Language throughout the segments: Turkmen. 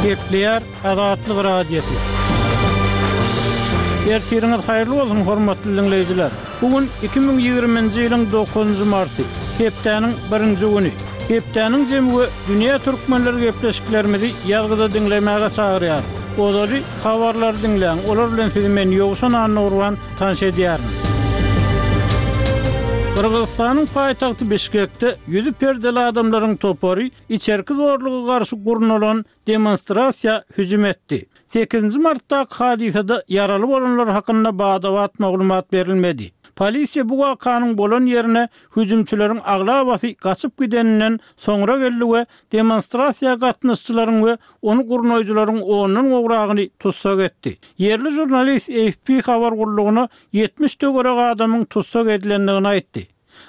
Gepleýär Azatlyk Radiosy. Ertiriňiz haýyrly bolsun, hormatly diňleýjiler! Bu gün 2020-nji ýylyň dokuzynjy marty, hepdäniň birinji güni. Hepdäniň jemi we dünýä türkmenleri gepleşiklerimizi ýazgyda diňlemäge çagyrýarys. Ozaly habarlary diňläň, olar bilen sizi men Ýowşan Annagurban tanyş edýärin. Gyrgyzystanyň paýtagty Bişkekde ýüzi perdeli adamlaryň topary içerki zorluga garşy gurnalan demonstrasiýa hüjüm etdi. Sekizinji martdaky hadysada ýaraly bolanlar hakynda bada-bat maglumat berilmedi. Polisiýa bu wakanyň bolan ýerine hüjümçileriň aglabasy gaçyp gideninden soňra geldi we demonstrasiýa gatnaşyjylaryň we ony gurnaýjylaryň ondan gowragyny tussag etdi. Ýerli žurnalist AFP habar gullugyna 70 töweregi adamyň tussag edilendigini aýtdy.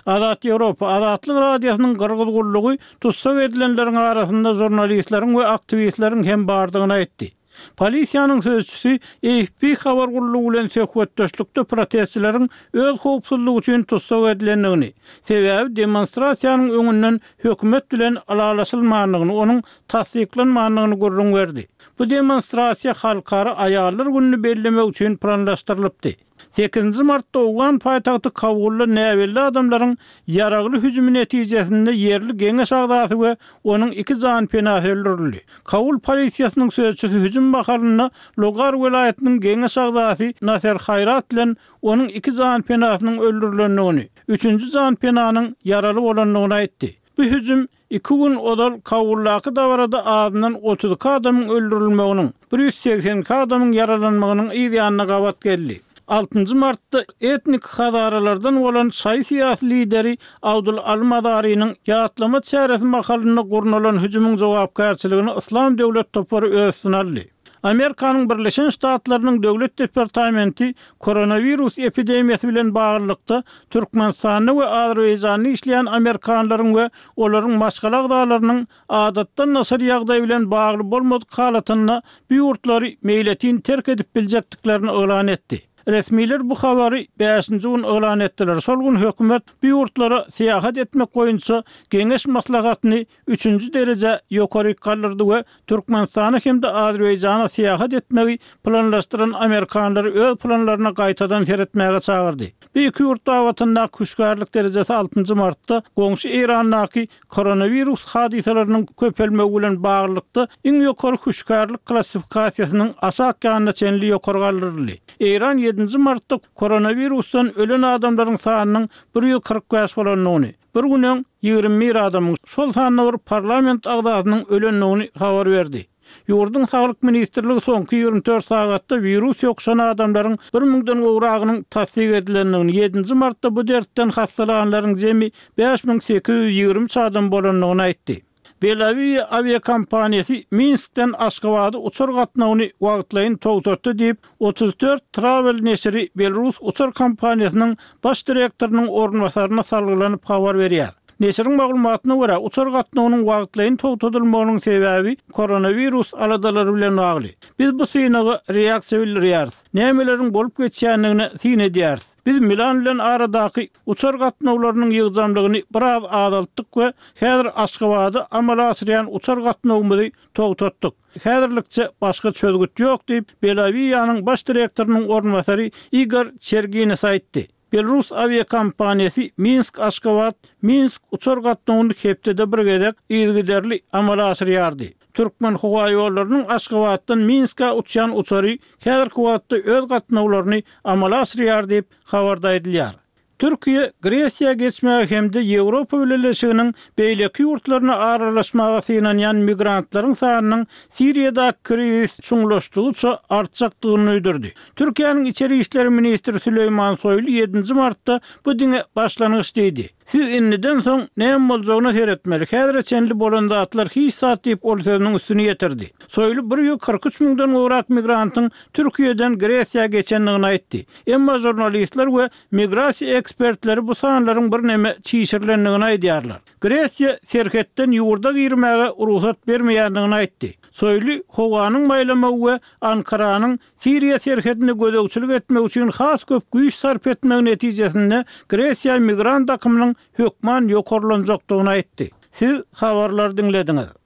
Azat Ýewropa, Azatlyk Radiosynyň Gyrgyz gullugy tussag edilenleriň arasynda žurnalistleriň we aktiwistleriň hem bardygyny aýtdy. Polisiýanyň sözçüsi AFP habar gullugy bilen söhbetdeşlikde protestçileriň öz howpsuzlygy üçin tussag edilendigini, sebäbi demonstrasiýanyň öňünden hökümet bilen ylalaşylmandygyny, onuň tassyklanmandygyny gürrüň berdi. Bu demonstrasiýa Halkara aýallar gününi bellemek üçin planlaşdyrylypdy. Sekizinji martda owgan paýtagty Kabulda näbelli adamlaryň ýaragly hüjümi netijesinde ýerli geňeş agzasy we onuň iki janpenasy öldürildi. Kabul polisiýasynyň sözçüsi hüjüm mahalynda Logar welaýatynyň geňeş agzasy Naser Haýrat bilen onuň iki janpenasynyň öldürilendigini, üçünji janpenanyň ýaraly bolandygyny aýtdy. Bu hüjüm Iki gün ozal Kabuldaky dabarada azyndan 32 adamyň öldürilmeginiň, 182 adamyň ýaralanmagynyň yz ýanyna gabat geldi. Altynjy martda etnik hazaralardan bolan şaýy syýasy lideri Abdul Aly Mazarynyň ýatlama çäresi mahalynda gurnalan hüjümiň jogapkärçiligini Yslam döwlet topary öz üstüne aldy. Amerikanyň Birleşen Ştatlarynyň Döwlet departamenti koronawirus epidemiýasy bilen baglylykda Türkmenistanda we Azerbaýjanda işleýän amerikanlaryň we olaryň maşgala agzalarynyň adatdan daşary ýagdaý bilen bagly bolmadyk halatynda bu ýurtlary meýletin terk edip biljekdiklerini yglan etdi. Resmiler bu habary bäşinji gün yglan etdiler. Şol gün hökümet bu ýurtlara syýahat etmek boýunça geňeş maslahatyny üçünji derejä ýokaryk galdyrdy we Türkmenistana hem-de Azerbaýjana syýahat etmegi planlaşdyran amerikanlary öz planlaryna gaýtadan seretmäge çagyrdy. Bu iki ýurt babatyndaky hüşgärlik derejesi altynjy martda goňşy Eýrandaky koronawirus hadysalarynyň köpelmegi bilen baglylykda iň ýokary hüşgärlik klassifikasiýasynyň aşak ýanyna çenli ýokary galdyryldy. Eýran ýedinji martda koronawirusdan ölen adamlaryň sanynyň 145 bolandygyny, Bir gün öň 21 adamyň, şol sanda bir parlament agzasynyň ölendigini habar berdi. Ýurduň Saglyk ministrligi soňky 24 sagatda wirus ýokuşan adamlaryň bir müňden gowragynyň tassyk edilendigini, ýedinji martda bu dertden hassalanlaryň jemi 5823 adam bolandygyny aýtdy. Belawiýa awiakompaniýasy Minskden Aşgabada uçar gatnawyny wagtlaýyn togtatdy diýip, 34 Travel neşiri belarus uçar kompaniýasynyň baş direktorynyň orunbasaryna salgylanyp habar berýär. Neşiriň maglumatyna görä, uçar gatnawynyň wagtlaýyn togtadylmagynyň sebäbi koronawirus aladalary bilen bagly. Biz bu synaga reaksiýa bildirýäris. Nämeleriň bolup geçýändigine syn edýäris. Biz Milan bilen aradaky uçar gatnawlarynyň ýygjamlygyny biraz azaltdyk we häzir Aşgabada amala aşyrýan uçar gatnawymyzy togtatdyk. Häzirlikçe başga çözgüt ýok diýip, Belawiýanyň baş direktorynyň orunbasary Igor Çergines aýtdy. Belarus awiakompaniýasy Minsk-Aşgabat, Minsk uçar gatnawyny hepdede bir gezek yzygiderli amala aşyrýardy. Türkmenhowaýollarynyň Aşgabatdan Minskä uçýan uçary häzirki wagtda öz gatnawlaryny amala aşyrýar diýip, habarda aýdylýar. Türkiýe Gresiýa geçmäge hem-de Ýewropa Bileleşiginiň beýleki ýurtlaryna aralaşmaga synanýan migrantlaryň sanynyň Siriýadaky krizis çuňlaşdygyça artjakdygyny duýdurdy. Türkiýäniň içeri işler ministri Süleýman Soýlu ýedinji martda bu diňe başlangyç diýdi. Siz indiden soň näme boljagyna seretmeli, häzire çenli bolan zatlar hiç zat diýip ol sözüniň üstüni ýetirdi. Soýlu 143 müňden gowrak migrantyň Türkiýeden Gresiýa geçendigini aýtdy. Emma žurnalistler we migrasiýa ekspertleri bu sanlaryň birneme çişirilendigini aýdýarlar. Gresiýa serhetden ýurda girmäge rugsat bermeýändigini aýtdy. Soýlu howanyň maýlamagy we Ankaranyň Siriýa serhedinde gözegçilik etmek üçin has köp güýç sarp etmegi netijesinde Gresiýa migrant akymynyň hökman ýokarlanjakdygyny aýtdy. Siz habarlary diňlediňiz.